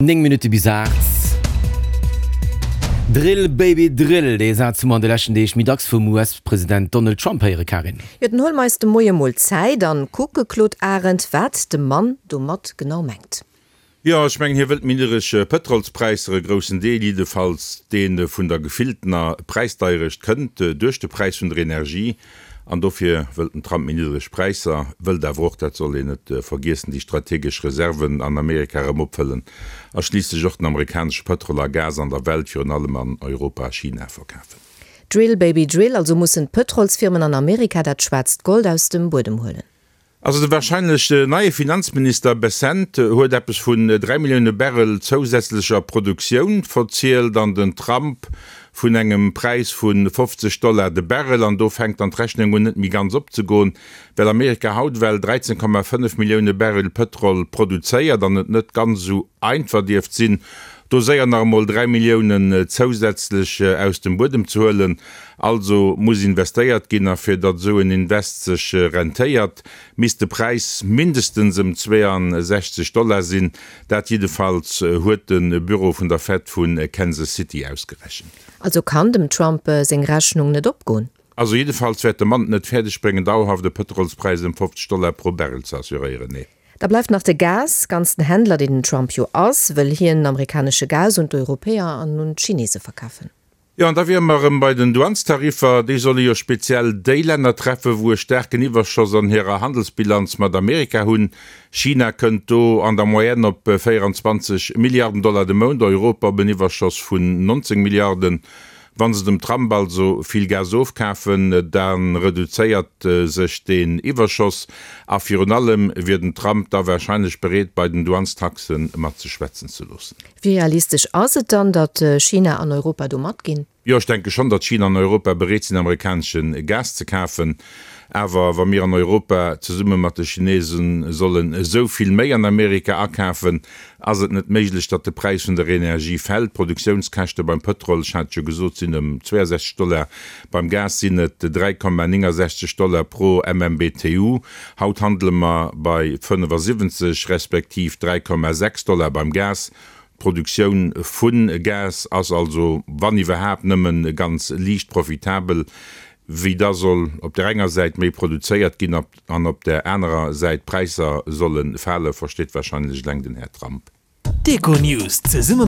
9 Minutte bis 8. Drill, Baby, drill! Dee Saz hu mer an de leschten Deeg méi dacks vum US-President Donald Trump héiere, Karin. Jo, dann huele mer eis de Moie mol Zäit an kucke, Claude Arend, wat de Mann domat genau mengt. Jo, ech mengen, hie wëllt méi niddereg Pëtrolspräisser, e groussen Deel jiddefalls, dee vun der gefilltener Präisdeierecht kënnt, duerch de Präis vun der Energie. An dofir wëllt den Trump méi niddereg Präisser, wëllt awer och, dat soll een net vergiessen, déi strategesch Reserven an Amerika erëm opfëllen a schliisslech och den amerikanesche Pëtrol a Gas an der Welt, virun allem an Europa a China, verkafen. Drill, baby, drill, also mussen d'Pëtrolsfirmen an Amerika dat schwaarzt Gold aus dem Buedem huelen. Also de warscheinlech neie Finanzminister Bessent huet eppes vun 3 Millioune Barrel zousätzlecher Produktioun verzielt an den Trump vun engem Präis vu 50 Dollar de Barrel. An do fänkt dann d'Rechnung un net méi ganz opzegoen, well Amerika haut ewell 13,5 Millioune Barrel Pëtrol produzéiert an et net ganz esou einfach dierft sinn, do séier nach emol 3 Milliounen zousätzlech aus dem Buedem ze huelen. Also muss investéiert ginn, a fir datt esou en Invest sech rentéiert, misst de Präis mindestens ëm 62 Dollar sinn. Dat jiddefalls huet de Büro vun der Fed vu Kansas City ausgerechent. Also kann dem Trump seng Rechnung net opgoen. Also jiddefalls wäert de Mann et net fäerdeg bréngen, dauerhaft e Pëtrolspräis ëm 50 Dollar pro Barrel ze assuréieren, nee. Da bleift nach de Gas. Ganz den Händler, deen den Trump jo ass, wëll hien amerikanesche Gas un d'Europäer an un d'Chinese verkafen. Jo, an da wiere mer erëm bei den Douanestariffer. Déi solle jo speziell déi Länner treffen, wou e staarken Iwwerschoss an hirer Handelsbilanz mat Amerika hunn. China kënnt do an der Moyenne op 24 Milliarden Dollar de Mount, Europa op en Iwwerschoss vun 19 Milliarden. Wa se dem Trump also vill Gas ofkafen, da reduzéiert sech deen Iwwerschoss. A virun allem wier den Trump da warscheinlech bereet, bei den Douanestaxe mat sech schwätzen ze loossen. Wéi realistesch ass et dann, datt China an Europa do matginn? Jo, ech denke schonn, datt China an Europa bereet sinn, amerikanesche Gas ze kafen. Awer wa mir an Europa zesumme mat de Chinese sollen esou vill méi an Amerika akafen, ass et net méiglech, datt de Präis vun der Energie fält. D'Produktiounskäschte beim Pëtrol, ech hat et jo gesot, sinn ëm 62 Dollar, beim Gas sinn et 3,69 Dollar pro MMBTU. Haut handele mer bei 75 respektiv 3,6 Dollar beim Gas. D'Produktioun vu Gas ass also, wann iwwerhaapt, nëmme ganz liicht profitabel. Wéi da soll op där enger Säit méi produzéiert ginn an op där anerer Säit d'Präisser solle fale, versteet warscheinlech eleng den Här Trump. D'Econews zesumme.